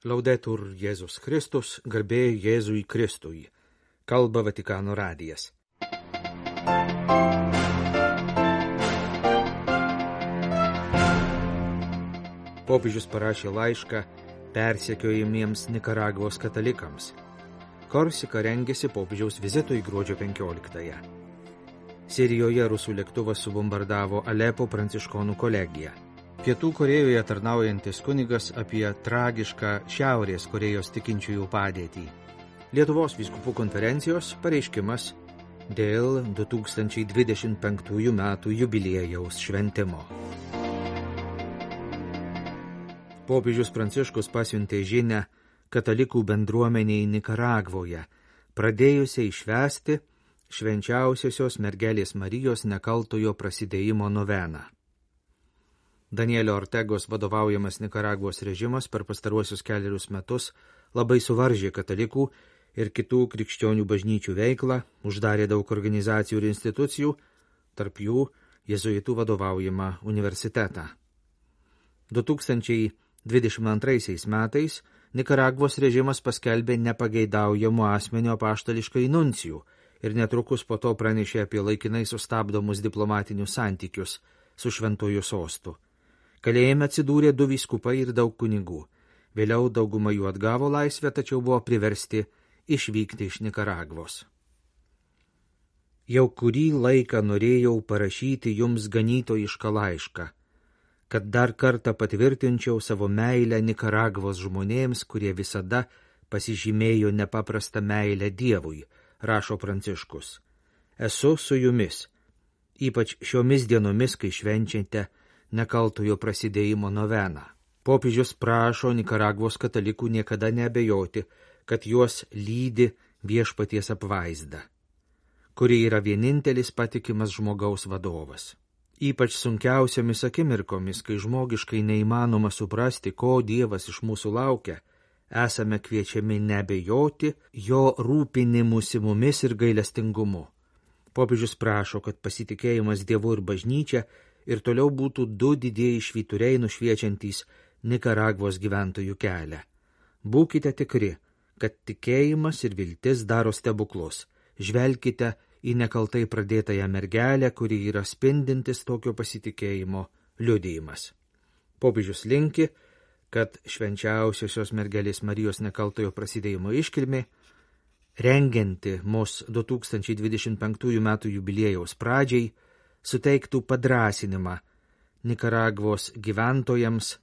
Laudetur Jėzus Kristus, garbė Jėzui Kristui. Kalba Vatikano radijas. Popiežius parašė laišką persekiojamiems Nikaragvos katalikams. Korsika rengėsi popiežiaus vizitui gruodžio 15-ąją. Sirijoje rusų lėktuvas subombardavo Alepo pranciškonų kolegiją. Pietų Korėjoje tarnaujantis kunigas apie tragišką Šiaurės Korėjos tikinčiųjų padėtį. Lietuvos vyskupų konferencijos pareiškimas dėl 2025 metų jubiliejaus šventimo. Popiežius Pranciškus pasiuntė žinią katalikų bendruomeniai Nikaragvoje, pradėjusiai švęsti švenčiausiosios mergelės Marijos nekaltojo prasidėjimo noveną. Danielio Ortegos vadovaujamas Nikaragvos režimas per pastaruosius kelerius metus labai suvaržė katalikų ir kitų krikščionių bažnyčių veiklą, uždarė daug organizacijų ir institucijų, tarp jų jėzuitų vadovaujamą universitetą. 2022 metais Nikaragvos režimas paskelbė nepageidaujamų asmenio apaštališkai nuncijų ir netrukus po to pranešė apie laikinai sustabdomus diplomatinius santykius su šventuoju sostu. Kalėjime atsidūrė 2 vyskupai ir daug kunigų. Vėliau dauguma jų atgavo laisvę, tačiau buvo priversti išvykti iš Nikaragvos. Jau kurį laiką norėjau parašyti jums ganytojišką laišką, kad dar kartą patvirtinčiau savo meilę Nikaragvos žmonėms, kurie visada pasižymėjo nepaprastą meilę Dievui, rašo Pranciškus. Esu su jumis, ypač šiomis dienomis, kai švenčiate nekaltojo prasidėjimo noveną. Popiežius prašo Nikaragvos katalikų niekada neabejoti, kad juos lydi viešpaties apvaizda, kuri yra vienintelis patikimas žmogaus vadovas. Ypač sunkiausiamis akimirkomis, kai žmogiškai neįmanoma suprasti, ko Dievas iš mūsų laukia, esame kviečiami neabejoti jo rūpinimusi mumis ir gailestingumu. Popiežius prašo, kad pasitikėjimas Dievu ir bažnyčia ir toliau būtų 2 didieji švyturiai nušviečiantys Nikaragvos gyventojų kelią. Būkite tikri, kad tikėjimas ir viltis daro stebuklus. Žvelkite į nekaltai pradėtąją mergelę, kuri yra spindintis tokio pasitikėjimo liudijimas. Popiežius linki, kad švenčiausiosios mergelės Marijos nekaltojo prasidėjimo iškilmė, rengianti mus 2025 metų jubiliejaus pradžiai, suteiktų padrąsinimą Nikaragvos gyventojams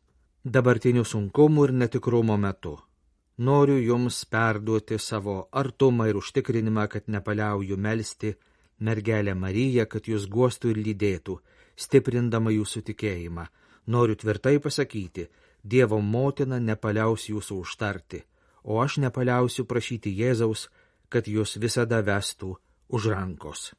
dabartinių sunkumų ir netikrumo metu. Noriu jums perduoti savo artumą ir užtikrinimą, kad nepaliauju melsti mergelę Mariją, kad jūs guostų ir lydėtų, stiprindama jūsų tikėjimą. Noriu tvirtai pasakyti, Dievo motina nepaliaus jūsų užtarti, o aš nepaliausiu prašyti Jėzaus, kad jūs visada vestų už rankos.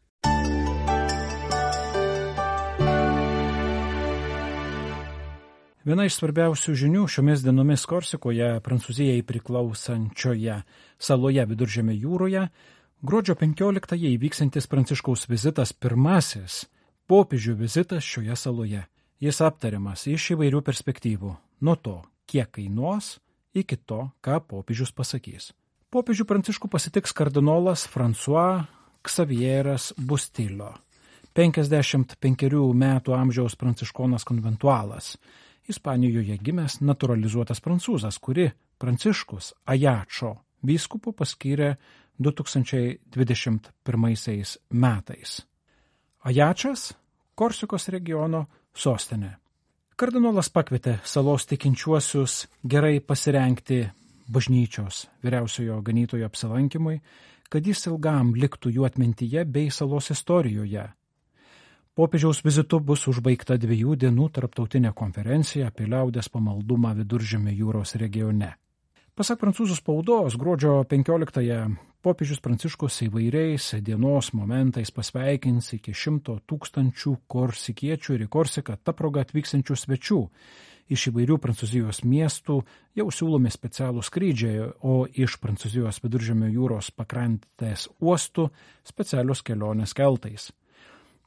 Viena iš svarbiausių žinių šiomis dienomis Korsikoje, Prancūzijai priklausančioje saloje Viduržemio jūroje, gruodžio 15-ąją įvyksantis Pranciškaus vizitas, pirmasis popiežių vizitas šioje saloje. Jis aptariamas iš įvairių perspektyvų, nuo to, kiek kainuos, iki to, ką popiežius pasakys. Popiežių Pranciškų pasitiks kardinolas François Xavieras Bustillo, 55 metų amžiaus pranciškonas konventualas, Ispanijoje gimęs naturalizuotas prancūzas, kuri Pranciškus Ajačo vyskupu paskyrė 2021 metais. Ajačas – Korsikos regiono sostinė. Kardinolas pakvietė salos tikinčiuosius gerai pasirengti bažnyčios vyriausiojo ganytojo apsilankymui, kad jis ilgam liktų jų atmintyje bei salos istorijoje. Popiežiaus vizitu bus užbaigta 2 dienų tarptautinė konferencija apie liaudies pamaldumą Viduržemio jūros regione. Pasak prancūzų spaudos, gruodžio 15-ąją popiežius Pranciškus įvairiais dienos momentais pasveikins iki 100 000 korsikiečių ir į Korsiką ta proga atvykstančių svečių. Iš įvairių Prancūzijos miestų jau siūlomi specialūs skrydžiai, o iš Prancūzijos Viduržemio jūros pakrantės uostų specialios kelionės keltais.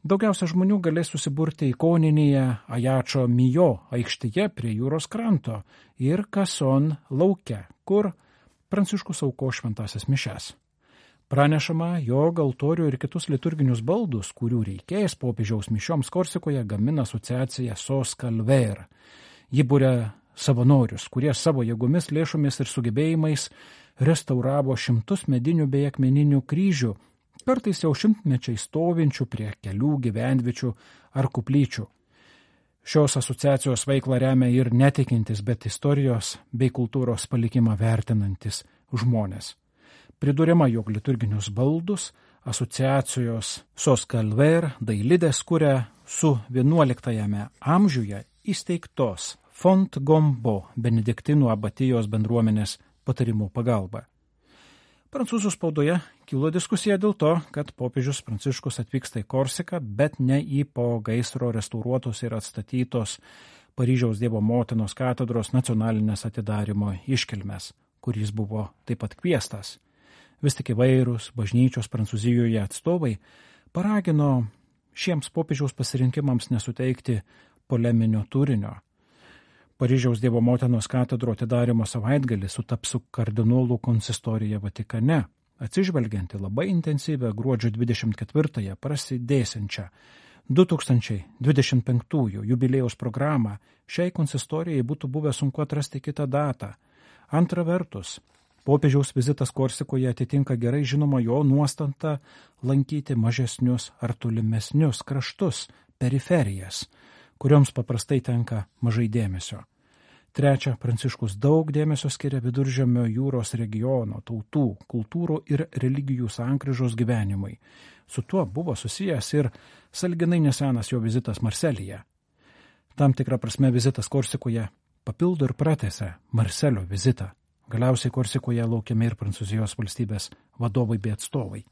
Daugiausia žmonių galės susiburti ikoninėje Ajačo Mijo aikštėje prie jūros kranto ir Kason lauke, kur Pranciškus auko šventasias mišes. Pranešama, jog altorių ir kitus liturginius baldus, kurių reikės popiežiaus mišioms Korsikoje, gamina asociacija Sos Calver. Ji būrė savanorius, kurie savo jėgomis, lėšomis ir sugebėjimais restauravo šimtus medinių bei akmeninių kryžių, kartais jau šimtmečiai stovinčių prie kelių gyvenviečių ar kuplyčių. Šios asociacijos veiklą remia ir netikintis, bet istorijos bei kultūros palikimą vertinantis žmonės. Priduriama, jog liturginius baldus asociacijos Sos Calver dailidės kuria su 11 amžiuje įsteigtos Font Gombo benediktinų abatijos bendruomenės patarimų pagalba. Prancūzų spaudoje kilo diskusija dėl to, kad popiežius Pranciškus atvyksta į Korsiką, bet ne į po gaisro restauruotos ir atstatytos Paryžiaus Dievo motinos katedros nacionalinės atidarymo iškilmes, kuris buvo taip pat kviestas. Vis tik įvairūs bažnyčios Prancūzijoje atstovai paragino šiems popiežiaus pasirinkimams nesuteikti poleminio turinio. Paryžiaus Dievo motinos katedro atidarymo savaitgalį sutaps su kardinolų konsistorija Vatikane, atsižvelgianti labai intensyvę gruodžio 24-ąją prasidėsiančią 2025 jubiliejaus programą. Šiai konsistorijai būtų buvę sunku atrasti kitą datą. Antra vertus, popiežiaus vizitas Korsikoje atitinka gerai žinoma jo nuostantą lankyti mažesnius ar tolimesnius kraštus, periferijas, kurioms paprastai tenka mažai dėmesio. Trečia, Pranciškus daug dėmesio skiria Viduržemio jūros regiono, tautų, kultūrų ir religijų sankryžos gyvenimui. Su tuo buvo susijęs ir sąlyginai nesenas jo vizitas Marselyje. Tam tikrą prasme vizitas Korsikoje papildo ir pratęsia Marselio vizitą. Galiausiai Korsikoje laukiami ir Prancūzijos valstybės vadovai bei atstovai.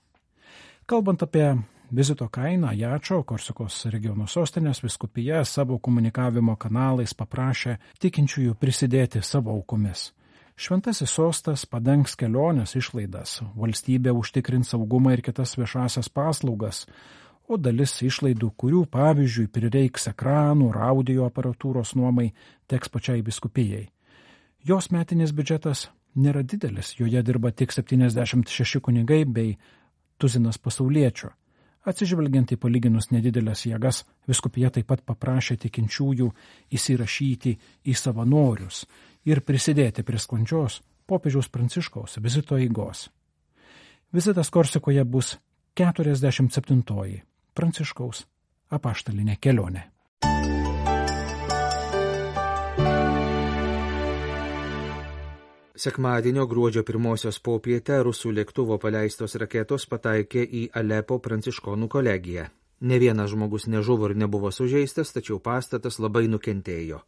Kalbant apie vizito kainą, Ajačo, Korsikos regiono sostinės vyskupija savo komunikavimo kanalais paprašė tikinčiųjų prisidėti savo aukomis. Šventasis sostas padengs kelionės išlaidas, valstybė užtikrins saugumą ir kitas viešasias paslaugas, o dalis išlaidų, kurių pavyzdžiui prireiks ekranų ir audio aparatūros nuomai, teks pačiai vyskupijai. Jos metinis biudžetas nėra didelis, joje dirba tik 76 kunigai bei tuzinas pasauliečių. Atsižvelgiant į palyginus nedidelės jėgas, vyskupija taip pat paprašė tikinčiųjų įsirašyti į savanorius ir prisidėti prie sklandžios popiežiaus Pranciškaus vizito eigos. Vizitas Korsikoje bus 47-oji Pranciškaus apaštalinė kelionė. Sekmadienio gruodžio 1 popietę rusų lėktuvo paleistos raketos pataikė į Alepo pranciškonų kolegiją. Ne vienas žmogus nežuvo ir nebuvo sužeistas, tačiau pastatas labai nukentėjo.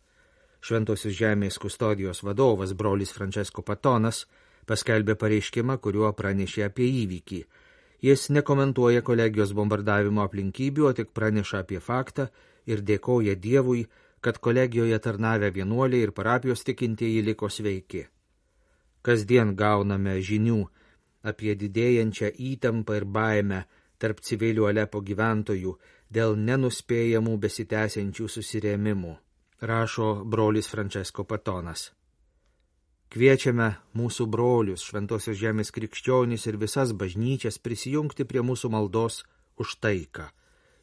Šventosios žemės kustodijos vadovas brolis Francesco Patonas paskelbė pareiškimą, kuriuo pranešė apie įvykį. Jis nekomentuoja kolegijos bombardavimo aplinkybių, o tik praneša apie faktą ir dėkoja Dievui, kad kolegijoje tarnavę vienuoliai ir parapijos tikintieji liko sveiki. Kasdien gauname žinių apie didėjančią įtampą ir baimę tarp civilių Alepo gyventojų dėl nenuspėjamų besitęsiančių susirėmimų, rašo brolis Francesco Patonas. Kviečiame mūsų brolius, šventosios žemės krikščionys ir visas bažnyčias prisijungti prie mūsų maldos už taiką,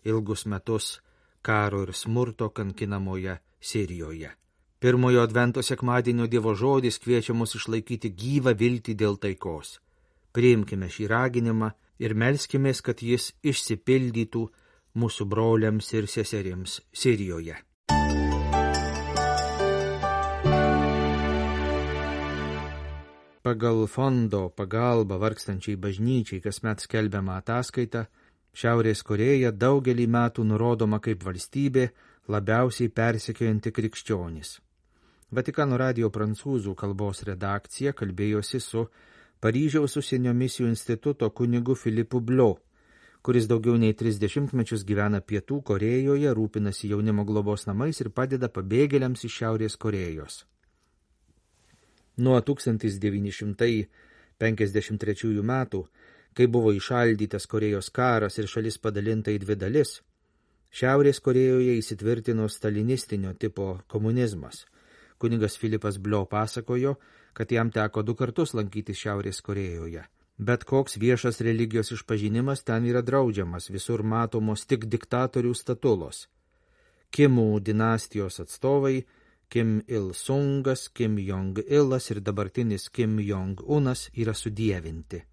ilgus metus karo ir smurto kankinamoje Sirijoje. Pirmojo advento sekmadienio Dievo žodis kviečia mus išlaikyti gyvą viltį dėl taikos. Priimkime šį raginimą ir melskimės, kad jis išsipildytų mūsų broliams ir seserims Sirijoje. Pagal fondo pagalbą vargstančiai bažnyčiai kasmet skelbiamą ataskaitą, Šiaurės Korėja daugelį metų nurodoma kaip valstybė labiausiai persekiojanti krikščionis. Vatikano radijo prancūzų kalbos redakcija kalbėjosi su Paryžiaus užsienio misijų instituto kunigu Filipu Blio, kuris daugiau nei 30 mečius gyvena Pietų Korėjoje, rūpinasi jaunimo globos namais ir padeda pabėgėliams iš Šiaurės Korėjos. Nuo 1953 metų, kai buvo įšaldytas Korėjos karas ir šalis padalinta į dvi dalis, Šiaurės Korėjoje įsitvirtino stalinistinio tipo komunizmas. Kunigas Filipas Blio pasakojo, kad jam teko 2 kartus lankytis Šiaurės Korėjoje. Bet koks viešas religijos išpažinimas ten yra draudžiamas, visur matomos tik diktatorių statulos. Kimų dinastijos atstovai, Kim Il-sungas, Kim Jong-ilas ir dabartinis Kim Jong-unas yra sudievinti.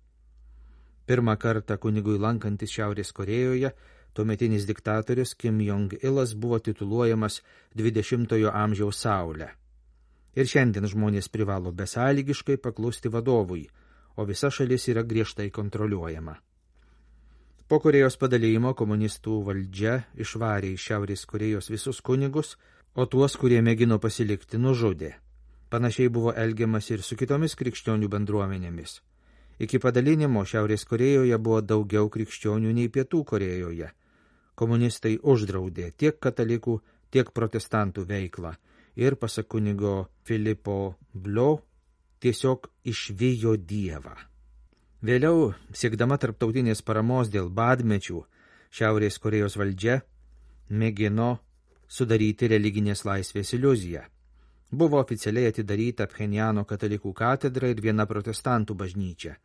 Pirmą kartą kunigui lankantis Šiaurės Korėjoje, tuometinis diktatorius Kim Jong-ilas buvo tituluojamas 20-ojo amžiaus saulę. Ir šiandien žmonės privalo besąlygiškai paklusti vadovui, o visa šalis yra griežtai kontroliuojama. Po Korėjos padalijimo komunistų valdžia išvarė iš Šiaurės Korėjos visus kunigus, o tuos, kurie mėgino pasilikti, nužudė. Panašiai buvo elgiamas ir su kitomis krikščionių bendruomenėmis. Iki padalinimo Šiaurės Korėjoje buvo daugiau krikščionių nei Pietų Korėjoje. Komunistai uždraudė tiek katalikų, tiek protestantų veiklą ir, pasak kunigo Filipo Blio, tiesiog išvijo Dievą. Vėliau, siekdama tarptautinės paramos dėl badmečių, Šiaurės Korėjos valdžia mėgino sudaryti religinės laisvės iliuziją. Buvo oficialiai atidaryta Pchenjano katalikų katedra ir viena protestantų bažnyčia.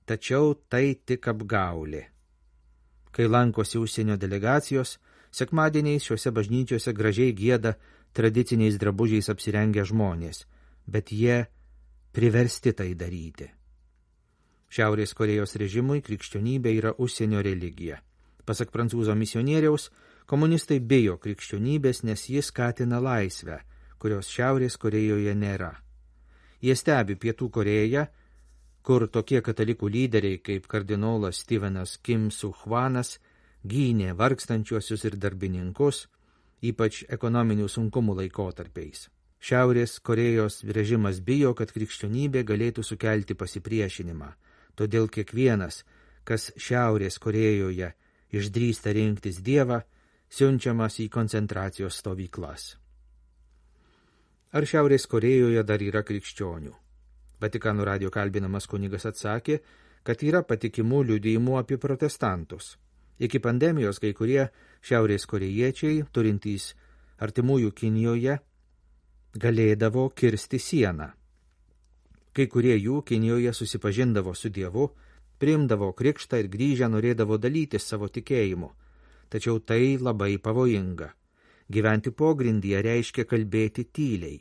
Tačiau tai tik apgaulė. Kai lankosi užsienio delegacijos, sekmadieniais šiuose bažnyčiose gražiai gieda tradiciniais drabužiais apsirengę žmonės, bet jie priversti tai daryti. Šiaurės Korėjos režimui krikščionybė yra užsienio religija. Pasak prancūzo misionieriaus, komunistai bijo krikščionybės, nes jis skatina laisvę, kurios Šiaurės Korėjoje nėra. Jie stebi Pietų Korėją, kur tokie katalikų lyderiai kaip kardinolas Stevenas Kim Su-hwanas gynė vargstančiuosius ir darbininkus, ypač ekonominių sunkumų laikotarpiais. Šiaurės Korėjos režimas bijo, kad krikščionybė galėtų sukelti pasipriešinimą, todėl kiekvienas, kas Šiaurės Korėjoje išdrįsta rinktis Dievą, siunčiamas į koncentracijos stovyklas. Ar Šiaurės Korėjoje dar yra krikščionių? Vatikano radijo kalbinamas kunigas atsakė, kad yra patikimų liudijimų apie protestantus. Iki pandemijos kai kurie Šiaurės korėjiečiai, turintys artimųjų Kinijoje, galėdavo kirsti sieną. Kai kurie jų Kinijoje susipažindavo su Dievu, priimdavo krikštą ir grįžę norėdavo dalytis savo tikėjimu. Tačiau tai labai pavojinga. Gyventi pogrindyje reiškia kalbėti tyliai.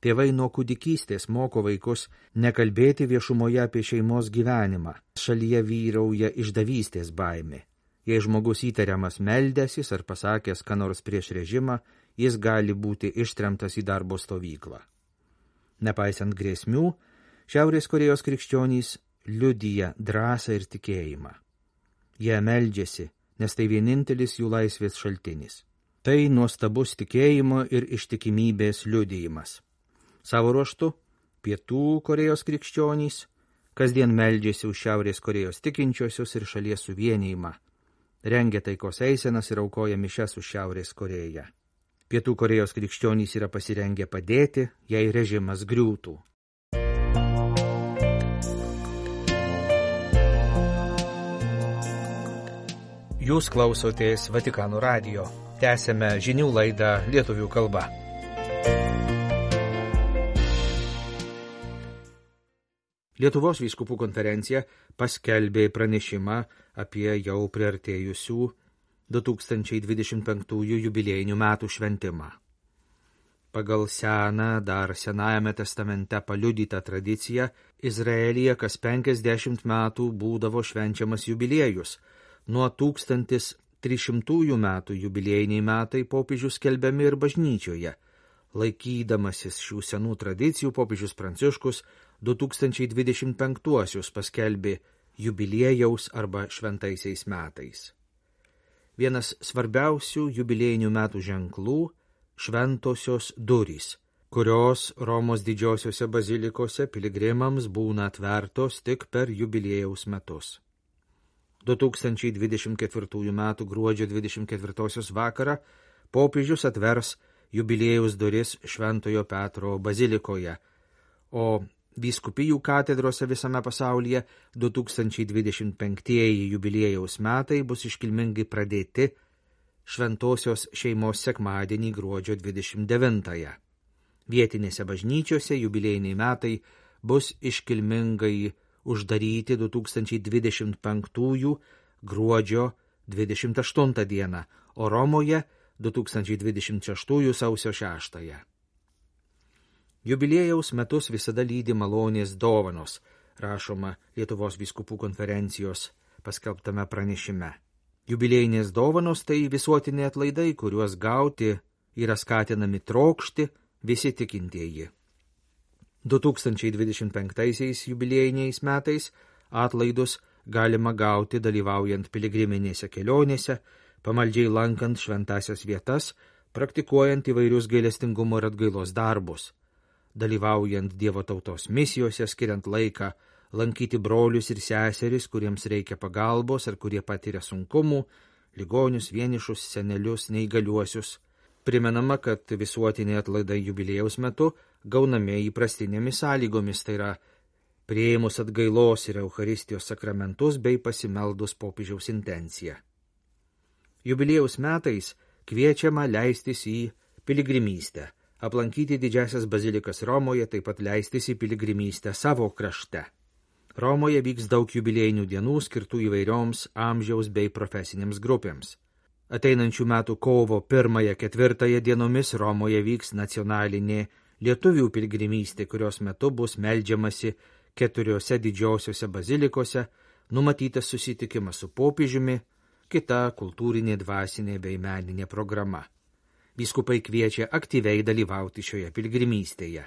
Tėvai nuo kūdikystės moko vaikus nekalbėti viešumoje apie šeimos gyvenimą. Šalyje vyrauja išdavystės baimė. Jei žmogus įtariamas meldęsis ar pasakęs ką nors prieš režimą, jis gali būti ištremtas į darbo stovyklą. Nepaisant grėsmių, Šiaurės Korėjos krikščionys liudija drąsą ir tikėjimą. Jie meldžiasi, nes tai vienintelis jų laisvės šaltinis. Tai nuostabus tikėjimo ir ištikimybės liudijimas. Savo ruožtu, Pietų Korėjos krikščionys kasdien meldžiasi už Šiaurės Korėjos tikinčiosius ir šalies suvienijimą, rengia taikos eisenas ir aukoja mišias už Šiaurės Korėją. Pietų Korėjos krikščionys yra pasirengę padėti, jei režimas griūtų. Jūs klausotės Vatikano radijo. Tęsėme žinių laidą lietuvių kalba. Lietuvos vyskupų konferencija paskelbė pranešimą apie jau priartėjusių 2025 jubiliejinių metų šventimą. Pagal seną, dar Senajame testamente paliudytą tradiciją, Izraelyje kas 50 metų būdavo švenčiamas jubiliejus. Nuo 1300 metų jubiliejiniai metai popiežius skelbiami ir bažnyčioje. Laikydamasis šių senų tradicijų, popiežius Pranciškus 2025 paskelbė jubiliejaus arba šventaisiais metais. Vienas svarbiausių jubiliejinių metų ženklų – šventosios durys, kurios Romos didžiosiose bazilikose piligrimams būna atvertos tik per jubiliejaus metus. 2024 metų gruodžio 24 vakarą popiežius atvers jubiliejaus duris Šventojo Petro bazilikoje, o vyskupijų katedrose visame pasaulyje 2025 jubiliejaus metai bus iškilmingai pradėti Šventosios šeimos sekmadienį gruodžio 29. Vietinėse bažnyčiose jubiliejiniai metai bus iškilmingai uždaryti 2025 gruodžio 28 dieną, o Romoje 2026 sausio 6. Jubiliejaus metus visada lydi malonės dovanos, rašoma Lietuvos vyskupų konferencijos paskelbtame pranešime. Jubiliejinės dovanos tai visuotiniai atlaidai, kuriuos gauti yra skatinami trokšti visi tikintieji. 2025 jubiliejiniais metais atlaidus galima gauti dalyvaujant piligriminėse kelionėse, pamaldžiai lankant šventasias vietas, praktikuojant įvairius gailestingumo ir atgailos darbus, dalyvaujant Dievo tautos misijose, skiriant laiką lankyti brolius ir seseris, kuriems reikia pagalbos ar kurie patiria sunkumų, ligonius, vienišus, senelius, neįgaliuosius. Primenama, kad visuotiniai atlaidai jubiliejaus metu gaunami įprastinėmis sąlygomis, tai yra priėmus atgailos ir Eucharistijos sakramentus bei pasimeldus popiežiaus intenciją. Jubiliejaus metais kviečiama leistis į piligrimystę, aplankyti didžiasias bazilikas Romoje, taip pat leistis į piligrimystę savo krašte. Romoje vyks daug jubiliejinių dienų skirtų įvairioms amžiaus bei profesinėms grupėms. Ateinančių metų kovo 1-4 dienomis Romoje vyks nacionalinė lietuvių piligrimystė, kurios metu bus meldžiamasi 4 didžiosiose bazilikose, numatytas susitikimas su popiežiumi, kita kultūrinė, dvasinė bei meninė programa. Vyskupai kviečia aktyviai dalyvauti šioje piligrimystėje.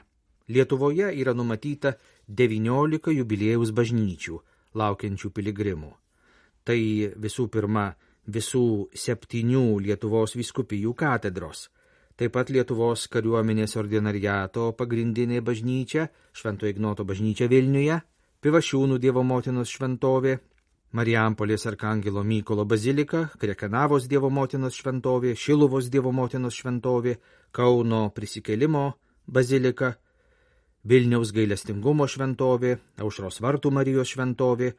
Lietuvoje yra numatyta 19 jubiliejaus bažnyčių, laukiančių piligrimų. Tai visų pirma visų 7 Lietuvos vyskupijų katedros, taip pat Lietuvos kariuomenės ordinariato pagrindinė bažnyčia, Švento Ignoto bažnyčia Vilniuje, Pivašiūnų Dievo motinos šventovė, Marijampolės Arkangelo Mykolo bazilika, Krekenavos Dievo motinos šventovė, Šiluvos Dievo motinos šventovė, Kauno Prisikėlimo bazilika, Vilniaus gailestingumo šventovė, Aušros vartų Marijos šventovė,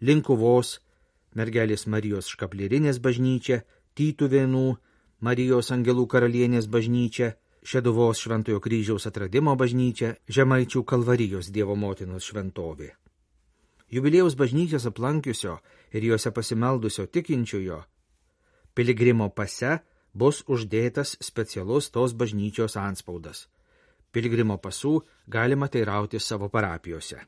Linkuvos Mergelės Marijos Škaplierinės bažnyčia, Tytuvėnų Marijos Angelų karalienės bažnyčia, Šeduvos Šventojo kryžiaus atradimo bažnyčia, Žemaičių Kalvarijos Dievo motinos šventovė. Jubiliejaus bažnyčias aplankiusio ir juose pasimeldusio tikinčiojo piligrimo pase bus uždėtas specialus tos bažnyčios antspaudas. Piligrimo pasų galima teirauti savo parapijose.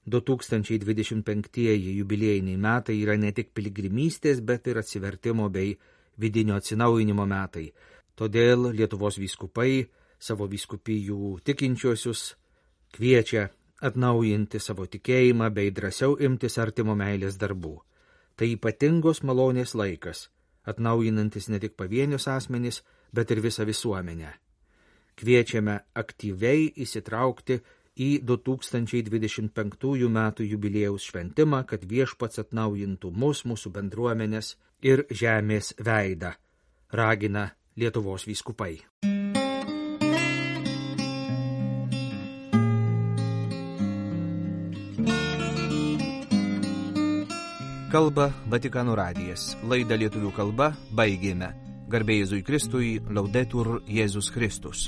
2025 jubiliejiniai metai yra ne tik piligrimystės, bet ir atsivertimo bei vidinio atsinaujinimo metai. Todėl Lietuvos vyskupai savo vyskupijų tikinčiuosius kviečia atnaujinti savo tikėjimą bei drąsiau imtis artimo meilės darbų. Tai ypatingos malonės laikas, atnaujinantis ne tik pavienius asmenys, bet ir visą visuomenę. Kviečiame aktyviai įsitraukti į 2025 metų jubiliejaus šventimą, kad Viešpats atnaujintų mūsų bendruomenės ir žemės veidą, ragina Lietuvos vyskupai. Kalba Vatikano radijas. Laidą lietuvių kalba baigėme. Garbė Jėzui Kristui, Laudetur Jėzus Kristus.